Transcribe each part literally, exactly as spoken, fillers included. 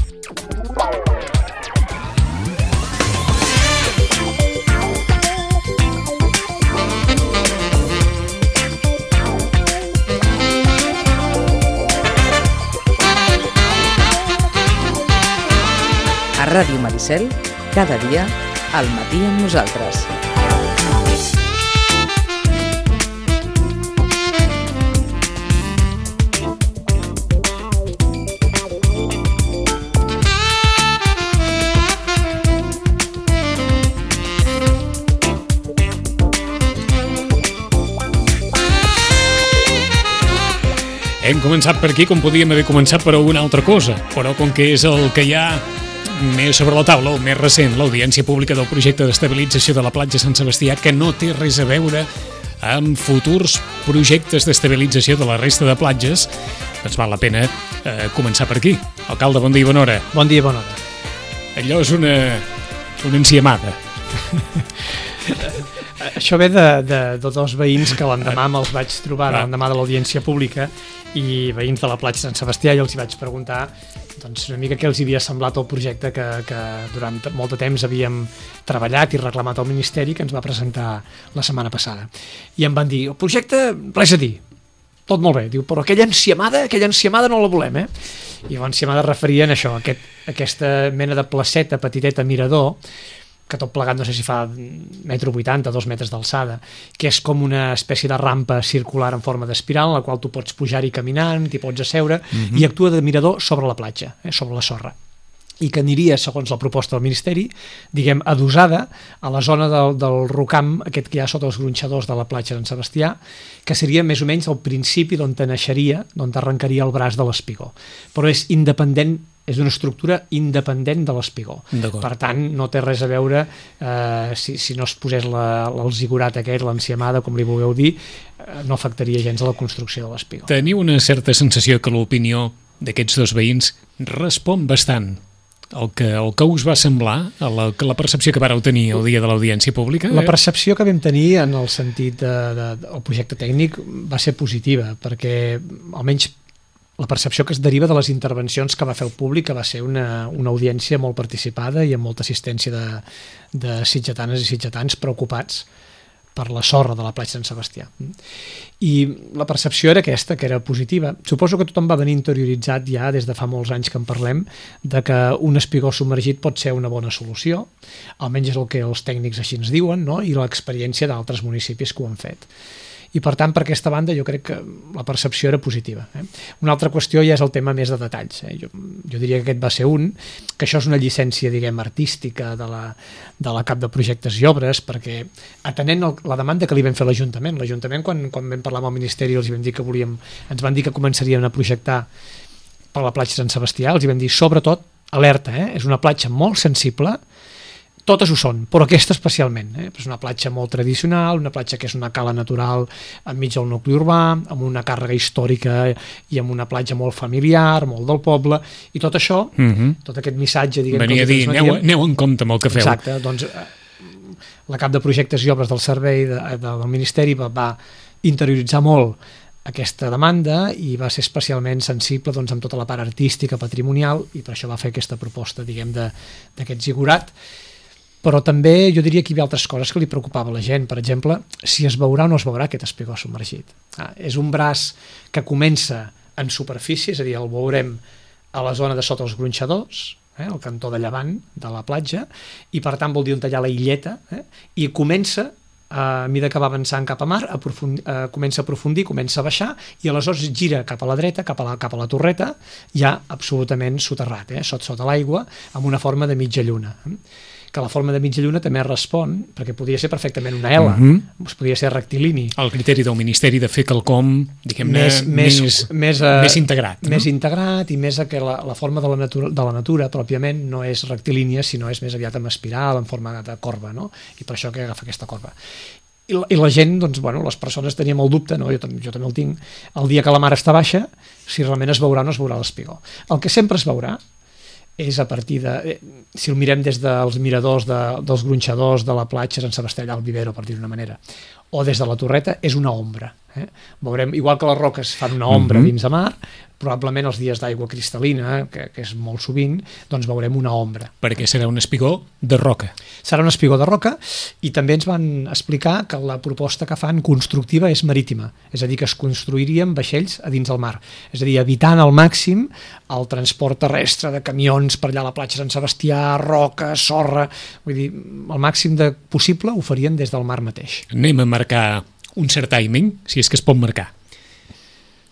A Ràdio Maricel, cada dia, al matí amb nosaltres. Hem començat per aquí com podíem haver començat per alguna altra cosa, però com que és el que hi ha més sobre la taula, o més recent, l'audiència pública del projecte d'estabilització de la platja Sant Sebastià, que no té res a veure amb futurs projectes d'estabilització de la resta de platges, doncs val la pena eh, començar per aquí. Alcalde, bon dia i bona hora. Bon dia i bona hora. Allò és una, una enciamada. Això ve de, de, de dos veïns que l'endemà me'ls vaig trobar, l'endemà de l'audiència pública, i veïns de la platja Sant Sebastià, i els hi vaig preguntar doncs, una mica què els havia semblat el projecte que, que durant molt de temps havíem treballat i reclamat al Ministeri, que ens va presentar la setmana passada. I em van dir, el projecte, res a dir, tot molt bé. Diu, però aquella enciamada, aquella enciamada no la volem, eh? I l'enciamada referia a això, a aquest, aquesta mena de placeta petiteta mirador, que tot plegat no sé si fa metro vuitanta, dos metres d'alçada, que és com una espècie de rampa circular en forma d'espiral, en la qual tu pots pujar-hi caminant, t'hi pots asseure, uh-huh. i actua de mirador sobre la platja, eh, sobre la sorra, i que aniria, segons la proposta del Ministeri, diguem, adosada a la zona del, del rocam, aquest que hi ha sota els gronxadors de la platja Sant Sebastià, que seria més o menys el principi d'on te naixeria, d'on t'arrencaria el braç de l'espigó. Però és independent, és una estructura independent de l'espigó. Per tant, no té res a veure eh, si, si no es posés la, el zigurat aquest, l'enciamada, com li vulgueu dir, eh, no afectaria gens a la construcció de l'espigó. Teniu una certa sensació que l'opinió d'aquests dos veïns respon bastant el que, el que us va semblar, la, la percepció que vareu tenir el dia de l'audiència pública? La percepció que vam tenir en el sentit de, de, del projecte tècnic va ser positiva, perquè almenys la percepció que es deriva de les intervencions que va fer el públic, que va ser una, una audiència molt participada i amb molta assistència de, de sitgetanes i sitgetans preocupats per la sorra de la platja Sant Sebastià. I la percepció era aquesta, que era positiva. Suposo que tothom va venir interioritzat ja des de fa molts anys que en parlem, de que un espigó submergit pot ser una bona solució, almenys és el que els tècnics així ens diuen, no? I l'experiència d'altres municipis que ho han fet. I per tant, per aquesta banda, jo crec que la percepció era positiva. Eh? Una altra qüestió ja és el tema més de detalls. Eh? Jo, jo diria que aquest va ser un, que això és una llicència, diguem, artística de la, de la Cap de Projectes i Obres, perquè atenent el, la demanda que li vam fer a l'Ajuntament, l'Ajuntament quan, quan vam parlar amb el Ministeri els vam dir que volíem, ens van dir que començarien a projectar per la platja Sant Sebastià, els vam dir, sobretot, alerta, eh? És una platja molt sensible, totes ho són, però aquesta especialment. Eh? És una platja molt tradicional, una platja que és una cala natural enmig del nucli urbà, amb una càrrega històrica i amb una platja molt familiar, molt del poble, i tot això, uh-huh. tot aquest missatge... Diguem, venia a dir, aneu, aneu en compte amb el que feu. Exacte, doncs la Cap de Projectes i Obres del Servei de, de, del Ministeri va, va interioritzar molt aquesta demanda i va ser especialment sensible doncs, amb tota la part artística, patrimonial, i per això va fer aquesta proposta, diguem, d'aquest zigurat. Però també jo diria que hi havia altres coses que li preocupava a la gent. Per exemple, si es veurà o no es veurà aquest espigó submergit. Ah, és un braç que comença en superfície, és a dir, el veurem a la zona de sota els gronxadors, eh, el cantó de llevant de la platja, i per tant vol dir on tallar la illeta, eh, i comença, a mesura que va avançant cap a mar, a profundir, eh, comença a aprofundir, comença a baixar, i aleshores gira cap a la dreta, cap a la, cap a la torreta, ja absolutament soterrat, eh, sota, sota l'aigua, amb una forma de mitja lluna. Eh. Que la forma de mitja lluna també respon, perquè podria ser perfectament una L, uh-huh. podria ser rectilini. El criteri del Ministeri de fer quelcom, diguem-ne, més, més, més, més, uh, més integrat. Més no? integrat i més a que la, la forma de la, natura, de la natura pròpiament no és rectilínia, sinó és més aviat amb espiral, en forma de corba, no? I per això que agafa aquesta corba. I la, i la gent, doncs, bueno, les persones teníem el dubte, no? jo, jo també el tinc, el dia que la mar està baixa, si realment es veurà o no es veurà l'espigó. El que sempre es veurà és a partir de... Si el mirem des dels miradors de, dels gronxadors de la platja Sant Sebastià al Vivero, per dir d'una manera, o des de la torreta és una ombra. Eh? Veurem, igual que les roques fan una ombra Mm-hmm. dins de mar, probablement els dies d'aigua cristal·lina, que, que és molt sovint, doncs veurem una ombra. Perquè serà un espigó de roca. Serà un espigó de roca, i també ens van explicar que la proposta que fan constructiva és marítima, és a dir, que es construirien vaixells a dins del mar, és a dir, evitant al màxim el transport terrestre de camions per allà a la platja Sant Sebastià, roca, sorra, vull dir, el màxim de possible ho farien des del mar mateix. Anem a marcar un cert timing, si és que es pot marcar.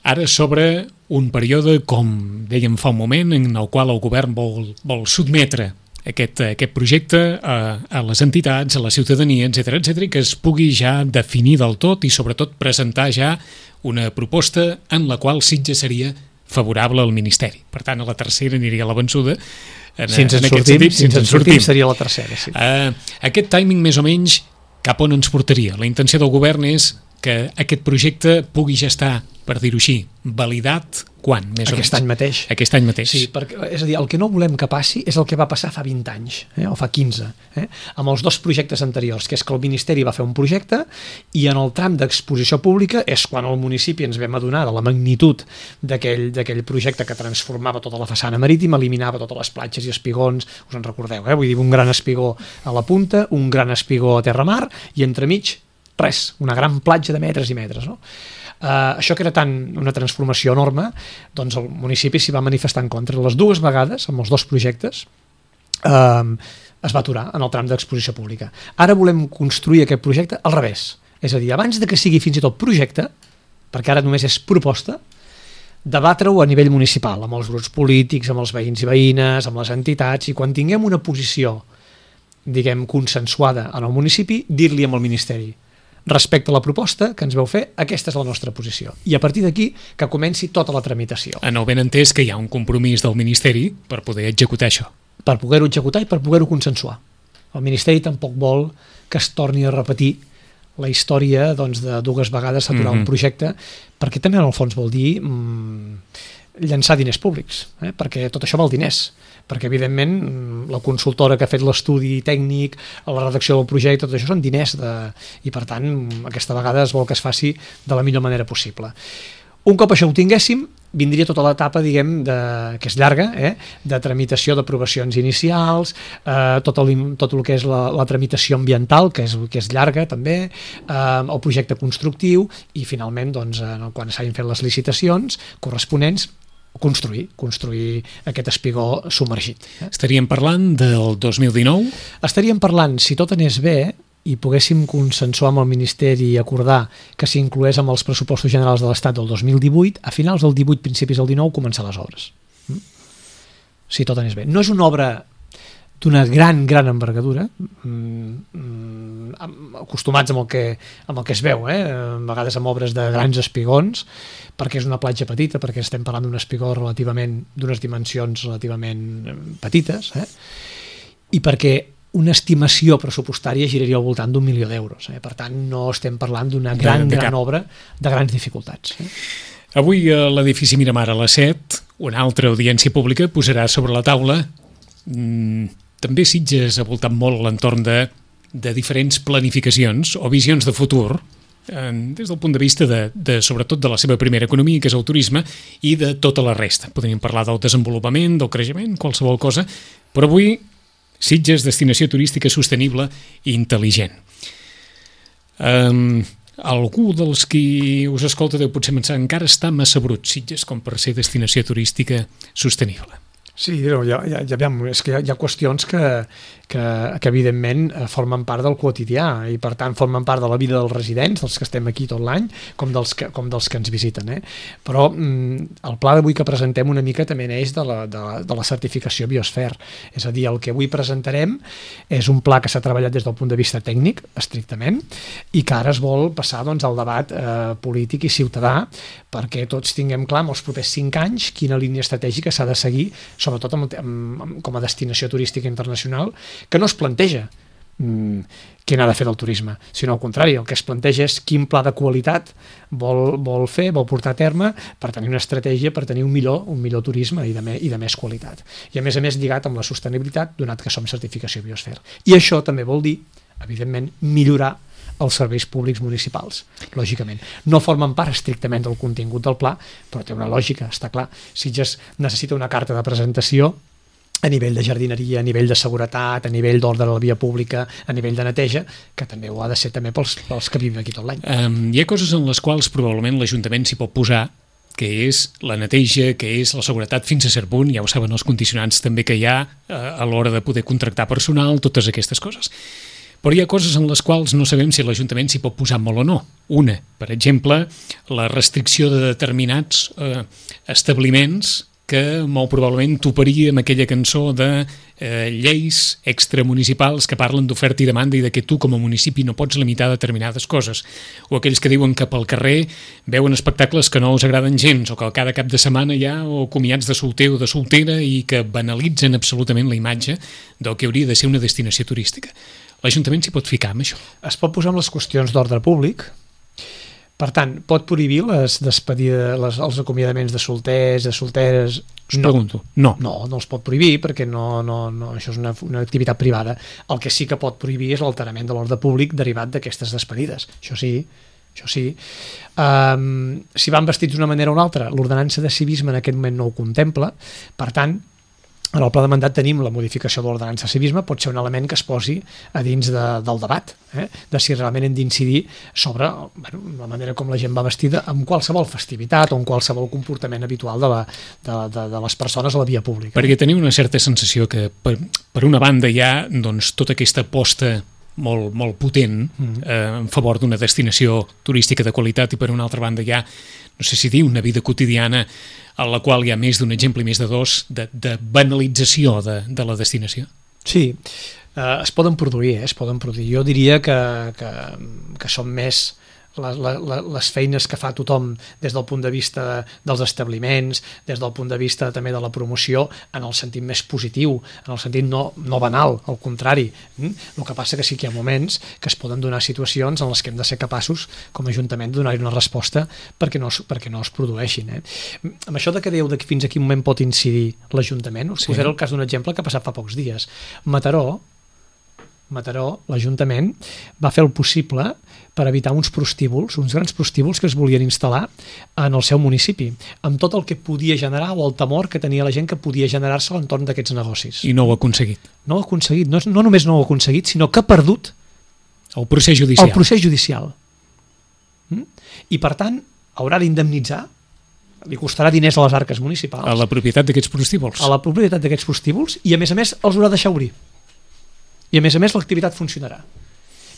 Ara sobre un període, com dèiem fa un moment, en el qual el govern vol, vol sotmetre aquest, aquest projecte a, a les entitats, a la ciutadania, etcètera, etcètera, i que es pugui ja definir del tot i sobretot presentar ja una proposta en la qual Sitges seria favorable al Ministeri. Per tant, a la tercera aniria a la vençuda. En, Si ens en en aquest sortim, sentit, si ens en sortim, seria la tercera, sí. Uh, aquest timing, més o menys, cap on ens portaria? La intenció del govern és que aquest projecte pugui ja estar, per dir-ho així, validat quan? Més Aquest o any menys? mateix. Aquest any mateix. Sí, perquè, és a dir, el que no volem que passi és el que va passar fa vint anys, eh, o fa quinze, eh, amb els dos projectes anteriors, que és que el Ministeri va fer un projecte i en el tram d'exposició pública és quan al municipi ens vam adonar de la magnitud d'aquell d'aquell projecte que transformava tota la façana marítima, eliminava totes les platges i espigons, us en recordeu, eh? Vull dir, un gran espigó a la punta, un gran espigó a terra-mar i entremig res, una gran platja de metres i metres, no? Uh, això que era tan una transformació enorme, doncs el municipi s'hi va manifestar en contra. Les dues vegades, amb els dos projectes, uh, es va aturar en el tram d'exposició pública. Ara volem construir aquest projecte al revés, és a dir, abans de que sigui fins i tot projecte, perquè ara només és proposta, debatre-ho a nivell municipal, amb els grups polítics, amb els veïns i veïnes, amb les entitats, i quan tinguem una posició, diguem, consensuada en el municipi, dir-li amb el Ministeri respecte a la proposta que ens veu fer, aquesta és la nostra posició. I a partir d'aquí que comenci tota la tramitació. En el ben entès que hi ha un compromís del Ministeri per poder executar això. Per poder-ho executar i per poder-ho consensuar. El Ministeri tampoc vol que es torni a repetir la història doncs, de dues vegades aturar mm-hmm. un projecte, perquè també en el fons vol dir mmm, llançar diners públics, eh? Perquè tot això val diners, perquè evidentment la consultora que ha fet l'estudi tècnic, la redacció del projecte, tot això són diners de... i per tant aquesta vegada es vol que es faci de la millor manera possible. Un cop això ho tinguéssim, vindria tota l'etapa, diguem, de, que és llarga, eh? de tramitació d'aprovacions inicials, eh, tot, el, tot el que és la, la tramitació ambiental, que és, que és llarga també, eh, el projecte constructiu i finalment, doncs, eh, quan s'hagin fet les licitacions corresponents, construir, construir aquest espigó submergit. Eh? Estaríem parlant del dos mil dinou? Estaríem parlant, si tot anés bé, i poguéssim consensuar amb el Ministeri i acordar que s'incloés amb els pressupostos generals de l'Estat del dos mil divuit, a finals del divuit, principis del dinou, començar les obres. Mm? Si tot anés bé. No és una obra d'una gran, gran envergadura, mm, acostumats amb el que, amb el que es veu, eh? A vegades amb obres de grans espigons, perquè és una platja petita, perquè estem parlant d'un espigó relativament, d'unes dimensions relativament petites, eh? I perquè una estimació pressupostària giraria al voltant d'un milió d'euros. Eh? Per tant, no estem parlant d'una gran, de, de gran obra de grans dificultats. Eh? Avui a l'edifici Miramar a les set, una altra audiència pública posarà sobre la taula mmm, també Sitges ha voltat molt a l'entorn de, de diferents planificacions o visions de futur, eh, des del punt de vista de, de, sobretot de la seva primera economia, que és el turisme, i de tota la resta. Podríem parlar del desenvolupament, del creixement, qualsevol cosa, però avui Sitges, destinació turística sostenible i intel·ligent. Um, algú dels qui us escolta deu potser pensar encara està massa brut Sitges com per ser destinació turística sostenible. Sí, ja, ja, ja, és que hi ha, hi ha qüestions que, que, que evidentment formen part del quotidià i per tant formen part de la vida dels residents, dels que estem aquí tot l'any, com dels que, com dels que ens visiten. Eh? Però mm, el pla d'avui que presentem una mica també neix de la, de, la, de la certificació Biosfera. És a dir, el que avui presentarem és un pla que s'ha treballat des del punt de vista tècnic, estrictament, i que ara es vol passar doncs, al debat eh, polític i ciutadà perquè tots tinguem clar en els propers cinc anys quina línia estratègica s'ha de seguir, sobretot amb, amb, com a destinació turística internacional, que no es planteja mmm, què n'ha de fer del turisme, sinó al contrari, el que es planteja és quin pla de qualitat vol, vol fer, vol portar a terme per tenir una estratègia per tenir un millor, un millor turisme i de, me, i de més qualitat. I a més a més lligat amb la sostenibilitat, donat que som certificació Biosfera. I això també vol dir, evidentment, millorar els serveis públics municipals, lògicament. No formen part estrictament del contingut del pla, però té una lògica, està clar. Sitges necessita una carta de presentació a nivell de jardineria, a nivell de seguretat, a nivell d'ordre de la via pública, a nivell de neteja, que també ho ha de ser també pels, pels que vivim aquí tot l'any. Um, hi ha coses en les quals probablement l'Ajuntament s'hi pot posar, que és la neteja, que és la seguretat fins a cert punt, ja ho saben els condicionants també que hi ha uh, a l'hora de poder contractar personal, totes aquestes coses. Però hi ha coses en les quals no sabem si l'Ajuntament s'hi pot posar molt o no. Una, per exemple, la restricció de determinats uh, establiments que molt probablement toparia amb aquella cançó de eh, lleis extramunicipals que parlen d'oferta i demanda i de que tu com a municipi no pots limitar determinades coses, o aquells que diuen que pel carrer veuen espectacles que no us agraden gens, o que cada cap de setmana hi ha o comiats de solter o de soltera i que banalitzen absolutament la imatge del que hauria de ser una destinació turística. L'Ajuntament s'hi pot ficar amb això? Es pot posar amb les qüestions d'ordre públic. Per tant, pot prohibir les despedides, les, els acomiadaments de solters, de solteres? Us no. pregunto. No. No, no els pot prohibir perquè no, no, no, això és una, una activitat privada. El que sí que pot prohibir és l'alterament de l'ordre públic derivat d'aquestes despedides. Això sí, això sí. Um, si van vestits d'una manera o una altra, l'ordenança de civisme en aquest moment no ho contempla. Per tant, en el pla de mandat tenim la modificació de l'ordenança de civisme, pot ser un element que es posi a dins de, del debat, eh? de si realment hem d'incidir sobre bueno, la manera com la gent va vestida en qualsevol festivitat o en qualsevol comportament habitual de, la, de, de, de les persones a la via pública. Perquè tenim una certa sensació que per, per una banda hi ha doncs, tota aquesta aposta molt, molt potent eh, en favor d'una destinació turística de qualitat i per una altra banda hi ha, no sé si dir, una vida quotidiana en la qual hi ha més d'un exemple i més de dos de, de banalització de, de la destinació. Sí, eh, es poden produir, eh, es poden produir. Jo diria que, que, que són més la, la, les feines que fa tothom des del punt de vista dels establiments, des del punt de vista també de la promoció, en el sentit més positiu, en el sentit no, no banal, al contrari. El que passa que sí que hi ha moments que es poden donar situacions en les que hem de ser capaços, com a Ajuntament, de donar-hi una resposta perquè no, perquè no es produeixin. Eh? Amb això de que dèieu de fins a quin moment pot incidir l'Ajuntament, us sí. posaré el cas d'un exemple que ha passat fa pocs dies. Mataró, Mataró, l'Ajuntament va fer el possible per evitar uns prostíbuls, uns grans prostíbuls que es volien instal·lar en el seu municipi, amb tot el que podia generar o el temor que tenia la gent que podia generar-se a l'entorn d'aquests negocis. I no ho ha aconseguit. No ho ha aconseguit, no, no només no ho ha aconseguit, sinó que ha perdut el procés judicial. El procés judicial. Mm? I per tant, haurà d'indemnitzar, li costarà diners a les arques municipals. A la propietat d'aquests prostíbuls. A la propietat d'aquests prostíbuls i a més a més els haurà de deixar obrir. I a més a més l'activitat funcionarà.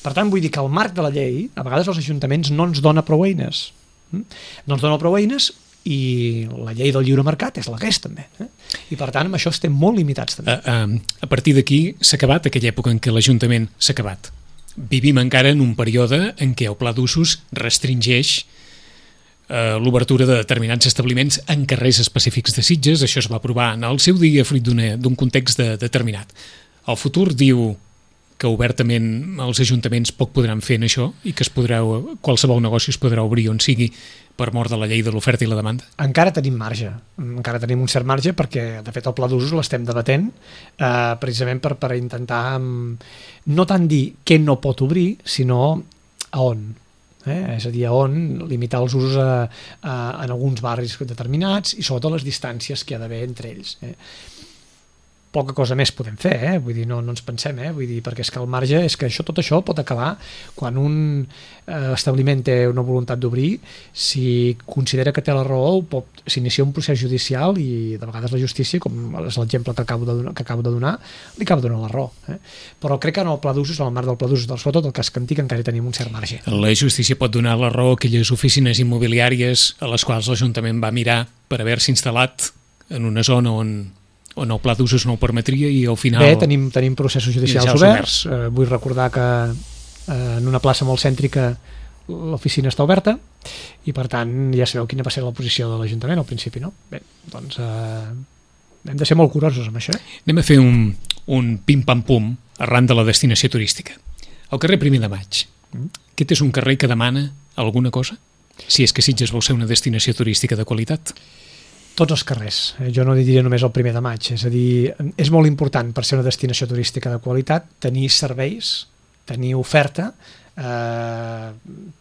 Per tant, vull dir que el marc de la llei, a vegades els ajuntaments no ens dona prou eines. No ens dona prou eines i la llei del lliure mercat és la que és també. Eh? I per tant, amb això estem molt limitats també. A, a, a partir d'aquí s'ha acabat aquella època en què l'Ajuntament s'ha acabat. Vivim encara en un període en què el pla d'usos restringeix eh, l'obertura de determinats establiments en carrers específics de Sitges. Això es va aprovar en el seu dia fruit d'un context de, determinat. El futur diu que obertament els ajuntaments poc podran fer en això i que es podrà, qualsevol negoci es podrà obrir on sigui per mort de la llei de l'oferta i la demanda? Encara tenim marge, encara tenim un cert marge perquè de fet el pla d'usos l'estem debatent eh, precisament per, per intentar no tant dir què no pot obrir, sinó a on. Eh? És a dir, a on limitar els usos a, a, en alguns barris determinats i sobretot les distàncies que hi ha d'haver entre ells. Eh? Poca cosa més podem fer, eh? Vull dir, no, no ens pensem, eh? Vull dir, perquè és que el marge és que això, tot això pot acabar quan un eh, establiment té una voluntat d'obrir, si considera que té la raó, pot s'inicia un procés judicial i de vegades la justícia, com és l'exemple que acabo de donar, que acabo de donar, li acaba donant la raó. Eh? Però crec que en el pla d'usos, en el marc del pla d'usos, sobretot el cas Cantic, encara tenim un cert marge. La justícia pot donar la raó a aquelles oficines immobiliàries a les quals l'Ajuntament va mirar per haver-se instal·lat en una zona on on el pla d'usos no ho permetria i al final... Bé, tenim, tenim processos judicials oberts. Eh, vull recordar que eh, en una plaça molt cèntrica l'oficina està oberta i per tant ja sabeu quina va ser la posició de l'Ajuntament al principi, no? Bé, doncs eh, hem de ser molt curosos amb això. Anem a fer un, un pim-pam-pum arran de la destinació turística. El carrer Primer de Maig. Mm. Aquest és un carrer que demana alguna cosa? Si és que Sitges vol ser una destinació turística de qualitat? Tots els carrers, jo no diria només el primer de maig, és a dir, és molt important per ser una destinació turística de qualitat tenir serveis, tenir oferta eh,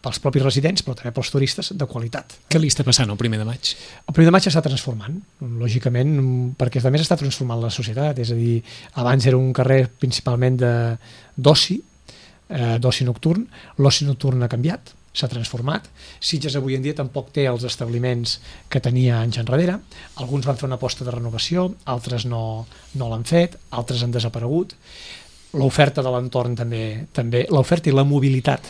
pels propis residents, però també pels turistes, de qualitat. Què li està passant el primer de maig? El primer de maig s'està transformant, lògicament, perquè també s'està transformant la societat, és a dir, abans era un carrer principalment d'oci, eh, d'oci nocturn, l'oci nocturn ha canviat, s'ha transformat. Sitges avui en dia tampoc té els establiments que tenia anys enrere. Alguns van fer una aposta de renovació, altres no, no l'han fet, altres han desaparegut. L'oferta de l'entorn també, també l'oferta i la mobilitat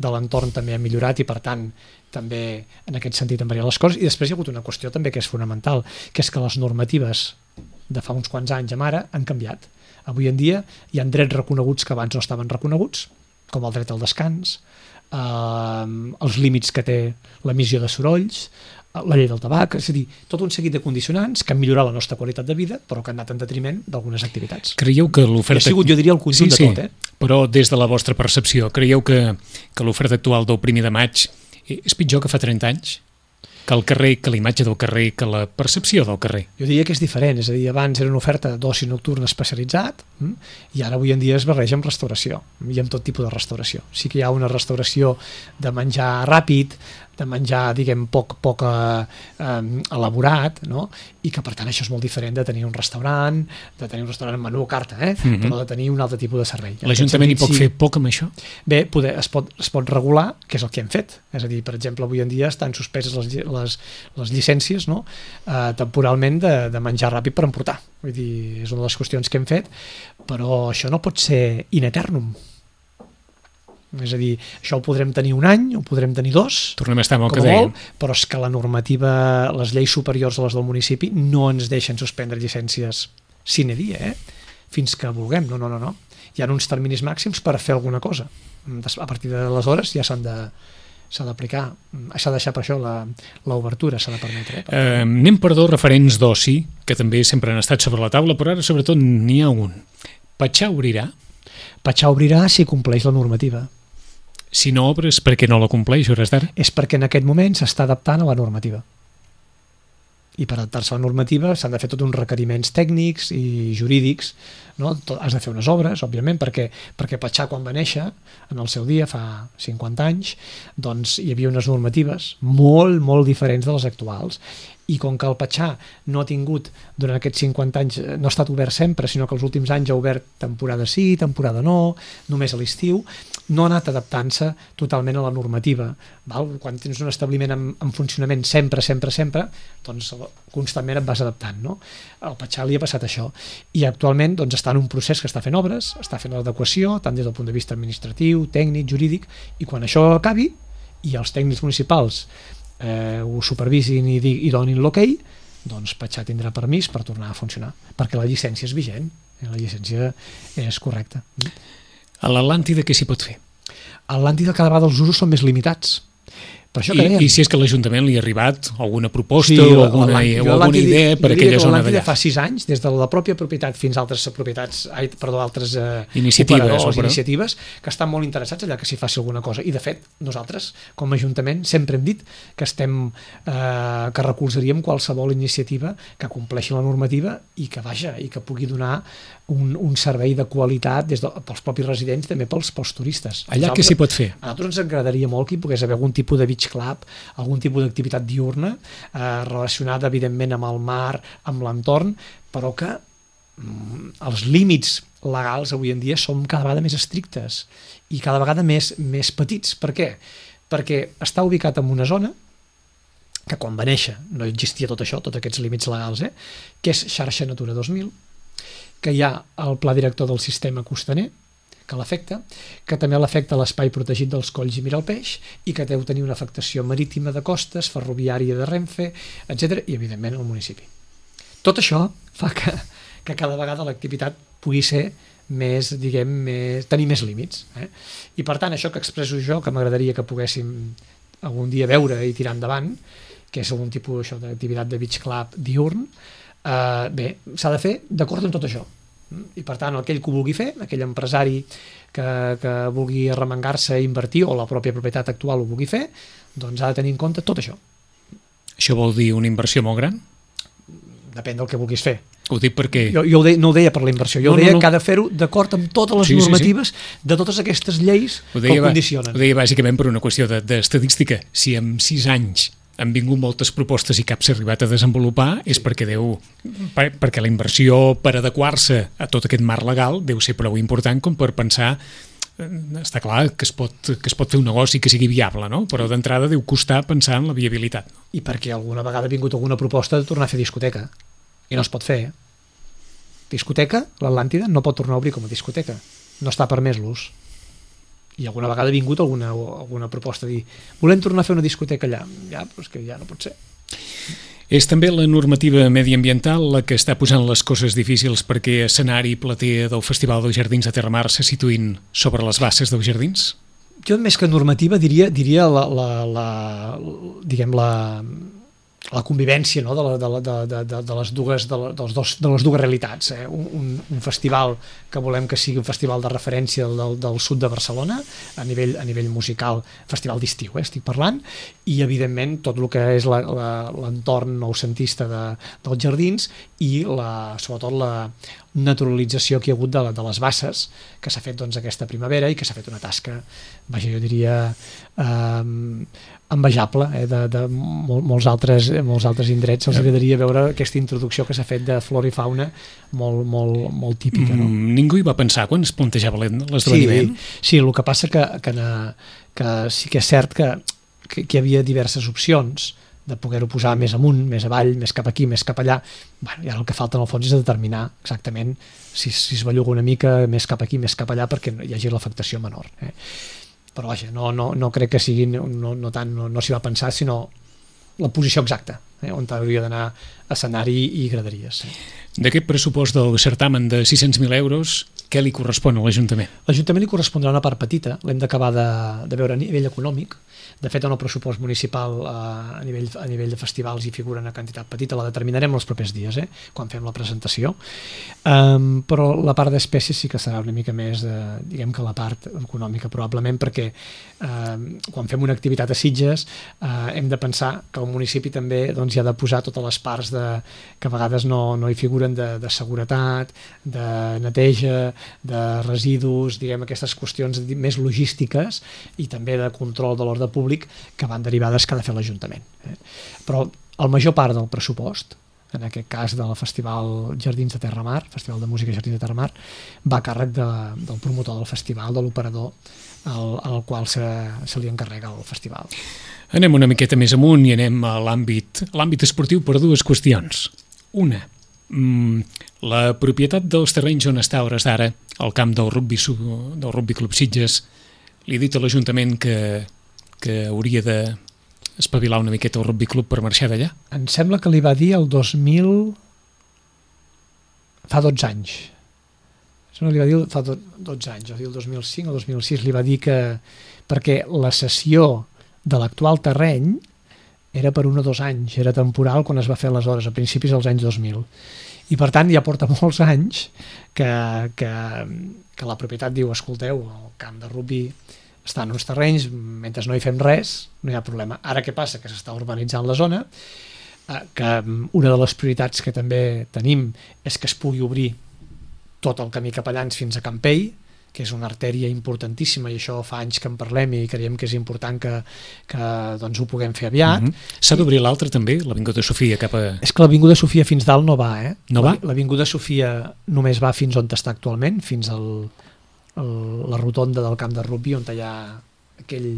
de l'entorn també ha millorat i, per tant, també en aquest sentit han variat les coses. I després hi ha hagut una qüestió també que és fonamental, que és que les normatives de fa uns quants anys amb ara han canviat. Avui en dia hi ha drets reconeguts que abans no estaven reconeguts, com el dret al descans, eh, els límits que té l'emissió de sorolls, la llei del tabac, és a dir, tot un seguit de condicionants que han millorat la nostra qualitat de vida, però que han anat en detriment d'algunes activitats. Creieu que l'oferta... I ha sigut, jo diria, el conjunt sí, sí, de tot, eh? Però des de la vostra percepció, creieu que, que l'oferta actual del primer de maig és pitjor que fa trenta anys? Que el carrer, que la imatge del carrer, que la percepció del carrer? Jo diria que és diferent, és a dir, abans era una oferta d'oci nocturn especialitzat hm? i ara avui en dia es barreja amb restauració i amb tot tipus de restauració. Sí que hi ha una restauració de menjar ràpid, de menjar, diguem, poc, poc eh, eh, elaborat, no? I que per tant això és molt diferent de tenir un restaurant, de tenir un restaurant amb menú a carta, eh? Mm-hmm. però de tenir un altre tipus de servei. L'Ajuntament hi pot sí, fer poc amb això? Bé, poder, es, pot, es pot regular, que és el que hem fet. És a dir, per exemple, avui en dia estan suspeses les, les, les llicències, no? eh, temporalment de, de menjar ràpid per emportar. Vull dir, és una de les qüestions que hem fet, però això no pot ser in eternum. És a dir, això ho podrem tenir un any, ho podrem tenir dos, tornem a estar amb el com que dèiem, però és que la normativa, les lleis superiors a les del municipi no ens deixen suspendre llicències sine die, eh? fins que vulguem, no, no, no, no. Hi ha uns terminis màxims per fer alguna cosa. A partir d'aleshores ja s'han de s'ha d'aplicar, s'ha de deixar per això l'obertura, s'ha de permetre. Eh? Eh, anem per dos referents d'oci, que també sempre han estat sobre la taula, però ara sobretot n'hi ha un. Patxà obrirà? Patxà obrirà si compleix la normativa. Si no obres, per què no la compleix, hores d'ara? És perquè en aquest moment s'està adaptant a la normativa. I per adaptar-se a la normativa s'han de fer tots uns requeriments tècnics i jurídics, no? Has de fer unes obres, òbviament, perquè, perquè Patxà, quan va néixer, en el seu dia, fa cinquanta anys, doncs hi havia unes normatives molt, molt diferents de les actuals. I com que el Patxà no ha tingut, durant aquests cinquanta anys, no ha estat obert sempre, sinó que els últims anys ha obert temporada sí, temporada no, només a l'estiu, no ha anat adaptant-se totalment a la normativa. Val? Quan tens un establiment en, en funcionament sempre, sempre, sempre, doncs constantment et vas adaptant. No? Al Patxà li ha passat això. I actualment doncs, està en un procés que està fent obres, està fent l'adequació, tant des del punt de vista administratiu, tècnic, jurídic, i quan això acabi, i els tècnics municipals eh, ho supervisin i, i donin l'ok, doncs Patxà tindrà permís per tornar a funcionar, perquè la llicència és vigent, la llicència és correcta. A l'Atlàntida què s'hi pot fer? A l'Atlàntida cada vegada els usos són més limitats. Per això que I, I si és que a l'Ajuntament li ha arribat alguna proposta sí, o alguna, o alguna idea per aquella zona d'allà? Fa sis anys, des de la pròpia propietat fins a altres propietats, ai, perdó, altres eh, iniciatives, operadors, iniciatives, que estan molt interessats allà que s'hi faci alguna cosa. I de fet, nosaltres, com a Ajuntament, sempre hem dit que estem eh, que recolzaríem qualsevol iniciativa que compleixi la normativa i que vaja, i que pugui donar un, un servei de qualitat des de, pels propis residents, també pels, pels turistes. Allà què s'hi pot fer? A nosaltres ens agradaria molt que hi pogués haver algun tipus de beach club, algun tipus d'activitat diurna eh, relacionada evidentment amb el mar, amb l'entorn, però que mm, els límits legals avui en dia són cada vegada més estrictes i cada vegada més, més petits. Per què? Perquè està ubicat en una zona que quan va néixer no existia tot això, tots aquests límits legals, eh? que és xarxa Natura dos mil, que hi ha el pla director del sistema costaner, que l'afecta, que també l'afecta l'espai protegit dels colls i Miralpeix i que deu tenir una afectació marítima de costes, ferroviària de Renfe, etcètera, i evidentment el municipi. Tot això fa que, que cada vegada l'activitat pugui ser més, diguem, més, tenir més límits. Eh? I per tant, això que expresso jo, que m'agradaria que poguéssim algun dia veure i tirar endavant, que és algun tipus això, d'activitat de beach club diurn, eh, bé, s'ha de fer d'acord amb tot això. I per tant, aquell que ho vulgui fer, aquell empresari que, que vulgui arremangar-se i invertir, o la pròpia propietat actual ho vulgui fer, doncs ha de tenir en compte tot això. Això vol dir una inversió molt gran? depèn del que vulguis fer. Ho dic perquè... Jo, jo ho deia, no ho deia per la inversió, jo no, ho deia no, no. que ha de fer-ho d'acord amb totes les sí, normatives sí, sí. de totes aquestes lleis ho deia, que ho condicionen. Ho deia bàsicament per una qüestió d'estadística. De, si en sis anys han vingut moltes propostes i cap s'ha arribat a desenvolupar, és perquè deu per, perquè la inversió per adequar-se a tot aquest marc legal deu ser prou important com per pensar, està clar que es pot, que es pot fer un negoci que sigui viable, no? Però d'entrada deu costar pensar en la viabilitat. No? I perquè alguna vegada ha vingut alguna proposta de tornar a fer discoteca i no es pot fer, eh? Discoteca, l'Atlàntida no pot tornar a obrir com a discoteca, no està permès l'ús. I alguna vegada ha vingut alguna, alguna proposta de dir volem tornar a fer una discoteca allà, ja, però és que ja no pot ser. És també la normativa mediambiental la que està posant les coses difícils perquè escenari i platea del Festival dels Jardins de Terramar se situïn sobre les basses dels jardins? Jo més que normativa diria, diria la, la, la, diguem la la convivència, no? de, la, de, la, de, de, de, les dues, de, la, dels dos, de les dues realitats. Eh? Un, un festival que volem que sigui un festival de referència del, del sud de Barcelona, a nivell, a nivell musical, festival d'estiu, eh? estic parlant, i evidentment tot el que és l'entorn noucentista de, dels jardins i la, sobretot la naturalització que hi ha hagut de, de les basses, que s'ha fet doncs, aquesta primavera i que s'ha fet una tasca, vaja, jo diria, eh, envejable, eh, de, de mol, molts, altres, molts altres indrets. Els agradaria veure aquesta introducció que s'ha fet de flora i fauna molt, molt, molt típica. No? Ningú hi va pensar quan es plantejava l'esdeveniment? Sí, sí, el que passa que, que, que sí que és cert que, que, que hi havia diverses opcions de poder-ho posar més amunt, més avall, més cap aquí, més cap allà. Bueno, i ara el que falta en el fons és determinar exactament si, si es belluga una mica més cap aquí, més cap allà, perquè hi hagi l'afectació menor. Eh? Però vaja, no, no, no crec que sigui, no, no tant, no, no s'hi va pensar, sinó la posició exacta, eh? on hauria d'anar escenari i graderies. Eh? D'aquest pressupost del certamen de sis-cents mil euros, què li correspon a l'Ajuntament? L'Ajuntament li correspondrà una part petita, l'hem d'acabar de, de veure a nivell econòmic. De fet, en el pressupost municipal eh, a, nivell, a nivell de festivals hi figura una quantitat petita, la determinarem els propers dies, eh, quan fem la presentació. Um, però la part d'espècies sí que serà una mica més, de, diguem que la part econòmica, probablement, perquè eh, quan fem una activitat a Sitges eh, hem de pensar que el municipi també doncs, hi ha de posar totes les parts de, que a vegades no, no hi figuren de, de seguretat, de neteja, de residus, diguem, aquestes qüestions més logístiques i també de control de l'ordre públic que van derivades que ha de fer l'Ajuntament. Eh? Però el major part del pressupost, en aquest cas del Festival Jardins de Terramar, Festival de Música Jardins de Terramar, va a càrrec de, del promotor del festival, de l'operador al, al qual se, se li encarrega el festival. Anem una miqueta més amunt i anem a l'àmbit l'àmbit esportiu per dues qüestions. Una, la propietat dels terrenys on està a hores d'ara el camp del rugby, del rugby Club Sitges, li ha dit a l'Ajuntament que que hauria de espavilar una miqueta el rugby club per marxar d'allà? Em sembla que li va dir el dos mil... fa dotze anys. Em li va dir fa dotze anys, el dos mil cinc o dos mil sis, li va dir que perquè la cessió de l'actual terreny era per un o dos anys, era temporal quan es va fer aleshores, a principis dels anys dos mil. I per tant ja porta molts anys que, que, que la propietat diu, escolteu, el camp de rugby està en uns terrenys, mentre no hi fem res, no hi ha problema. Ara què passa? Que s'està urbanitzant la zona, que una de les prioritats que també tenim és que es pugui obrir tot el camí Capellans fins a Campell, que és una artèria importantíssima i això fa anys que en parlem i creiem que és important que, que doncs, ho puguem fer aviat. Mm-hmm. S'ha d'obrir l'altre també, l'Avinguda Sofia cap a... És que l'Avinguda Sofia fins dalt no va, eh? No va? L'Avinguda Sofia només va fins on està actualment, fins al... El, la rotonda del camp de rugby on hi ha aquell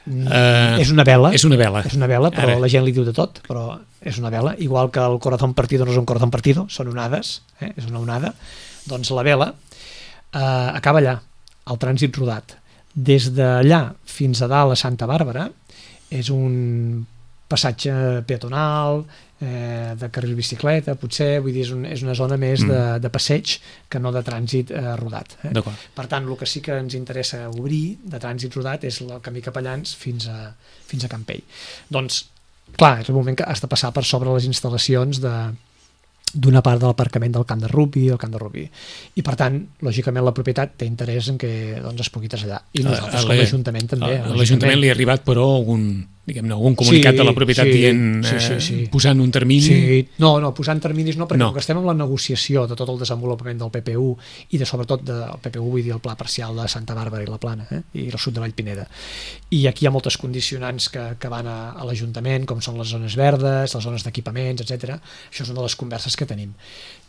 uh, és una vela és una vela, és una vela però Ara. La gent li diu de tot, però és una vela, igual que el corazón partido no és un corazón partido, són onades, eh? És una onada, doncs la vela uh, acaba allà, al trànsit rodat. Des d'allà fins a dalt a Santa Bàrbara és un passatge peatonal, eh, de carril bicicleta, potser, vull dir, és, un, és una zona més mm. de, de passeig que no de trànsit eh, rodat. Eh? Per tant, el que sí que ens interessa obrir de trànsit rodat és el camí Capellans fins a, fins a Campell. Doncs, clar, és el moment que has de passar per sobre les instal·lacions de d'una part de l'aparcament del camp de rugby, el camp de rugby. I per tant, lògicament la propietat té interès en que doncs, es pugui traslladar. I nosaltres com l'Ajuntament també. A l'Ajuntament li ha arribat però un, diguem-ne, algun comunicat sí, de la propietat sí, dient, sí, sí, sí. Eh, posant un termini? Sí, no, no, posant terminis no, perquè no. com que estem en la negociació de tot el desenvolupament del P P U i de sobretot del P P U, vull dir el pla parcial de Santa Bàrbara i la Plana, eh? I el sud de Vallpineda. I aquí hi ha moltes condicionants que, que van a, a l'Ajuntament, com són les zones verdes, les zones d'equipaments, etcètera. Això és una de les converses que tenim.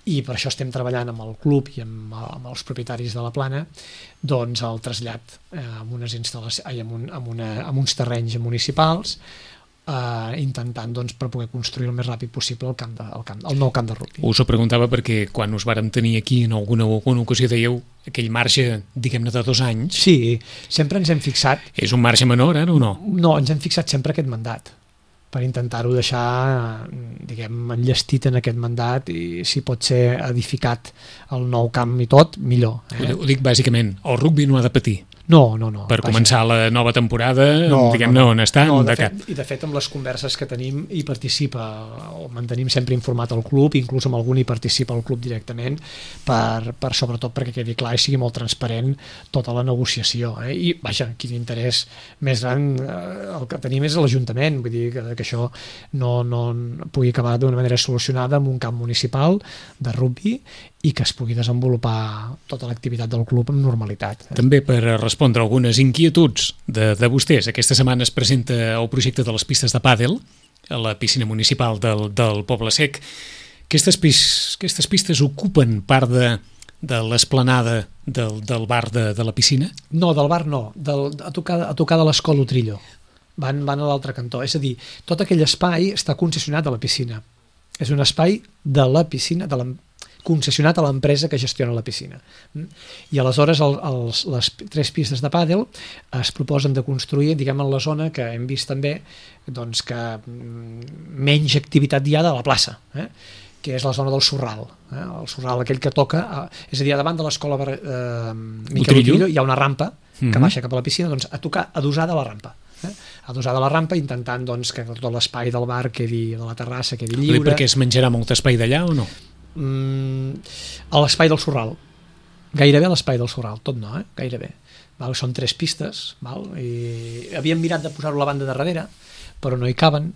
I per això estem treballant amb el club i amb, amb els propietaris de la Plana doncs el trasllat eh, amb, unes instal·lacions, ai, amb, un, amb, una, amb uns terrenys municipals eh, intentant doncs, per poder construir el més ràpid possible el, camp de, el, camp, el nou camp de rugby. Us ho preguntava perquè quan us vàrem tenir aquí en alguna, alguna ocasió dèieu aquell marge, diguem-ne, de dos anys. Sí, sempre ens hem fixat... És un marge menor, ara, o no? No, ens hem fixat sempre aquest mandat per intentar-ho deixar, diguem, enllestit en aquest mandat i si pot ser edificat el nou camp i tot, millor. Eh? Ho, ho dic bàsicament, el rugby no ha de patir. No, no, no. Per vaja. començar la nova temporada, no, diguem-ne, no, on està, no, de, de fet, cap. I de fet, amb les converses que tenim hi participa, o mantenim sempre informat el club, inclús amb algun hi participa el club directament, per, per sobretot perquè quedi clar i sigui molt transparent tota la negociació. Eh? I, vaja, quin interès més gran eh, el que tenim és l'Ajuntament, vull dir que, que això no, no pugui acabar d'una manera solucionada amb un camp municipal de rugby i que es pugui desenvolupar tota l'activitat del club amb normalitat. També per respondre algunes inquietuds de, de vostès, aquesta setmana es presenta el projecte de les pistes de pàdel a la piscina municipal del, del Poble Sec. Aquestes, pis, aquestes pistes ocupen part de, de l'esplanada del, del bar de, de la piscina? No, del bar no, del, a, tocar, a tocar de l'escola Utrillo. Van, van a l'altre cantó. És a dir, tot aquell espai està concessionat a la piscina. És un espai de la piscina, de la concessionat a l'empresa que gestiona la piscina. I aleshores el, els, les tres pistes de pàdel es proposen de construir, diguem, en la zona que hem vist també doncs, que menys activitat hi ha de la plaça, eh? Que és la zona del Sorral, eh? El Sorral aquell que toca, eh? És a dir, davant de l'escola eh, Miquel Utrillo hi ha una rampa que mm-hmm. baixa cap a la piscina, doncs a tocar adossada a la rampa. Eh? Adossada a la rampa, intentant doncs, que tot l'espai del bar quedi, de la terrassa quedi lliure. Perquè es menjarà molt espai d'allà o no? Mm, a l'espai del Sorral, gairebé a l'espai del Sorral, tot no, eh? Gairebé. Val? Són tres pistes, val? I havíem mirat de posar-ho a la banda de darrere, però no hi caben.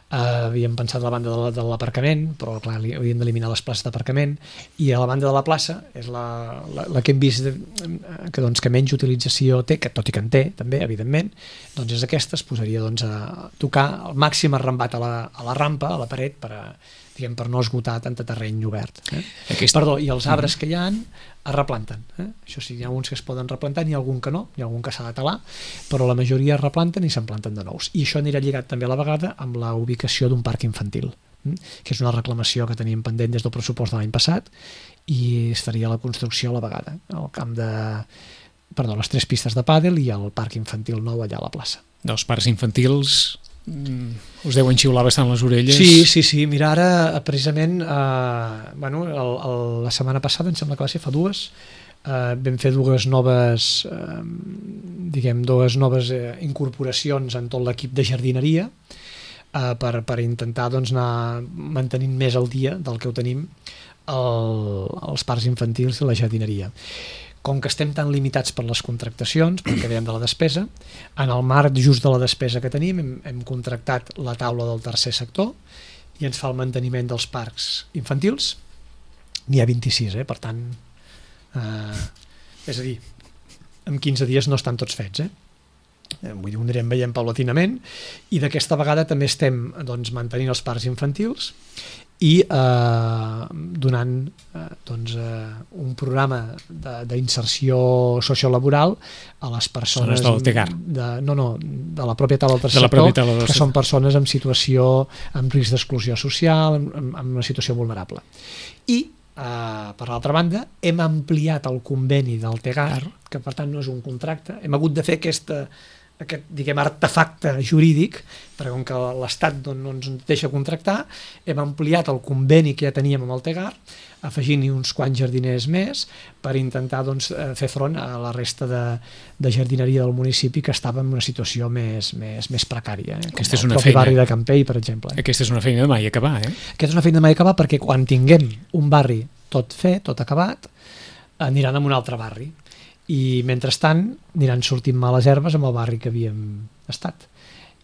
Uh, havíem pensat a la banda de l'aparcament, però clar, havíem d'eliminar les places d'aparcament, i a la banda de la plaça és la, la, la que hem vist de, que, doncs, que menys utilització té, que tot i que en té també, evidentment, doncs és aquesta, es posaria doncs, a tocar el màxim arrambat a la, a la rampa, a la paret, per a diguem, per no esgotar tant terreny obert. Eh? Aquest... Perdó, i els arbres que hi ha es replanten. Eh? Això sí, hi ha uns que es poden replantar, n'hi ha algun que no, hi ha algun que s'ha de talar, però la majoria es replanten i se'n planten de nous. I això anirà lligat també a la vegada amb la ubicació d'un parc infantil, eh? Que és una reclamació que teníem pendent des del pressupost de l'any passat i es faria la construcció a la vegada. El camp de... Perdó, les tres pistes de pàdel i el parc infantil nou allà a la plaça. Dels parcs infantils... us deuen xiular bastant les orelles. Sí, sí, sí. Mira, ara precisament eh, bueno, el, el, la setmana passada, em sembla que va ser fa dues, eh, vam fer dues noves eh, diguem, dues noves eh, incorporacions en tot l'equip de jardineria eh, per, per intentar doncs, anar mantenint més al dia del que ho tenim el, els parcs infantils i la jardineria. Com que estem tan limitats per les contractacions, perquè dèiem de la despesa, en el marc just de la despesa que tenim hem, hem contractat la taula del tercer sector i ens fa el manteniment dels parcs infantils. N'hi ha vint-i-sis, eh? Per tant, eh, és a dir, en quinze dies no estan tots fets, eh? Vull dir, ho anirem veient paulatinament i d'aquesta vegada també estem doncs, mantenint els parcs infantils i eh, donant eh, doncs, eh, un programa d'inserció sociolaboral a les persones de, no, no, de la pròpia taula del tercer sector, que són persones en situació amb risc d'exclusió social, en, en una situació vulnerable. I Uh, per l'altra banda, hem ampliat el conveni del Tegar, que per tant no és un contracte, hem hagut de fer aquesta, aquest diguem, artefacte jurídic, perquè com que l'Estat no, no ens deixa contractar, hem ampliat el conveni que ja teníem amb el Tegar, afegint-hi uns quants jardiners més per intentar doncs, fer front a la resta de, de jardineria del municipi que estava en una situació més, més, més precària, eh? Com Aquesta és el una propi feina. barri de Campell, per exemple. Aquesta és una feina de mai acabar, eh? Aquesta és una feina de mai acabar perquè quan tinguem un barri tot fet, tot acabat, aniran a un altre barri. I mentrestant aniran sortint males herbes amb el barri que havíem estat.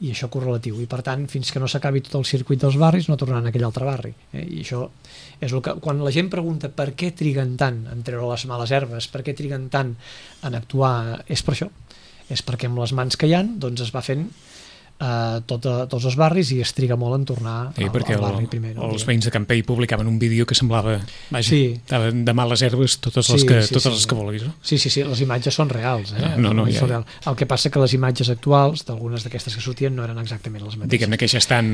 i això correlatiu, i per tant fins que no s'acabi tot el circuit dels barris no tornaran a aquell altre barri, eh? I això és el que, quan la gent pregunta per què triguen tant en treure les males herbes, per què triguen tant en actuar, és per això, és perquè amb les mans que hi ha doncs es va fent Uh, tot, uh, tots els barris i es triga molt en tornar sí, al, al barri el, primer. No? Els veïns de Campell publicaven un vídeo que semblava, vaja, sí. de males herbes totes les sí, que, sí, totes sí, les que vulguis. No? Sí, sí, sí, les imatges són reals. Eh? No, no, ja, són reals. El que passa que les imatges actuals, d'algunes d'aquestes que sortien, no eren exactament les mateixes. Diguem-ne que ja estan...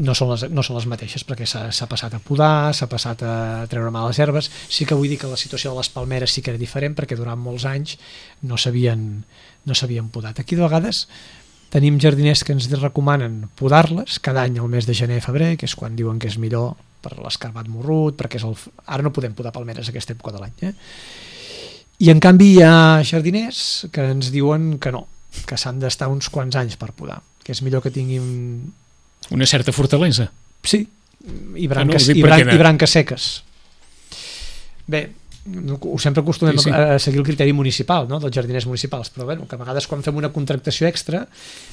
No són les, no són les mateixes, perquè s'ha passat a podar, s'ha passat a treure males herbes. Sí que vull dir que la situació de les palmeres sí que era diferent, perquè durant molts anys no s'havien no s'havien podat. Aquí de vegades tenim jardiners que ens recomanen podar-les cada any al mes de gener i febrer, que és quan diuen que és millor per l'escarbat morrut, perquè és el... ara no podem podar palmeres a aquesta època de l'any. Eh? I en canvi hi ha jardiners que ens diuen que no, que s'han d'estar uns quants anys per podar, que és millor que tinguin... Una certa fortalesa. Sí, i branques, no, i, bran i branques seques. Bé, sempre acostumem sí, sí. a seguir el criteri municipal, no? dels jardiners municipals, però bueno, que a vegades quan fem una contractació extra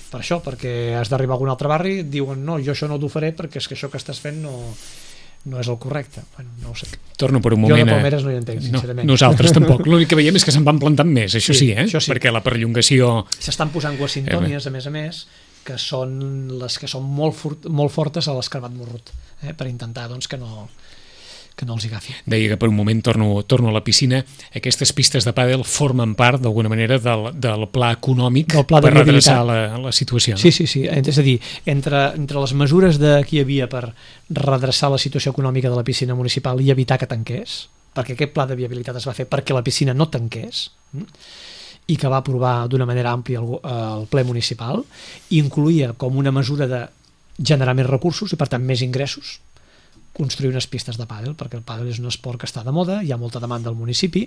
per això, perquè has d'arribar a algun altre barri, diuen no, jo això no t'ho faré perquè és que això que estàs fent no, no és el correcte. Bueno, no ho sé. Torno per un moment... Jo de palmeres no hi entenc, sincerament. No, nosaltres tampoc. L'únic que veiem és que se'n van plantant més, això sí, sí eh? Això sí. Perquè la perllongació... S'estan posant guacintònies, a més a més, que són les que són molt, fort, molt fortes a l'escarbat morrut, eh? per intentar doncs, que no... que no els agafi. Deia que per un moment torno, torno a la piscina. Aquestes pistes de pàdel formen part, d'alguna manera, del, del pla econòmic del pla de per redreçar la, la situació. No? Sí, sí, sí. És a dir, entre, entre les mesures de, que hi havia per redreçar la situació econòmica de la piscina municipal i evitar que tanqués, perquè aquest pla de viabilitat es va fer perquè la piscina no tanqués, i que va aprovar d'una manera àmplia el, el ple municipal, incluïa com una mesura de generar més recursos i, per tant, més ingressos, construir unes pistes de pàdel, perquè el pàdel és un esport que està de moda, hi ha molta demanda al municipi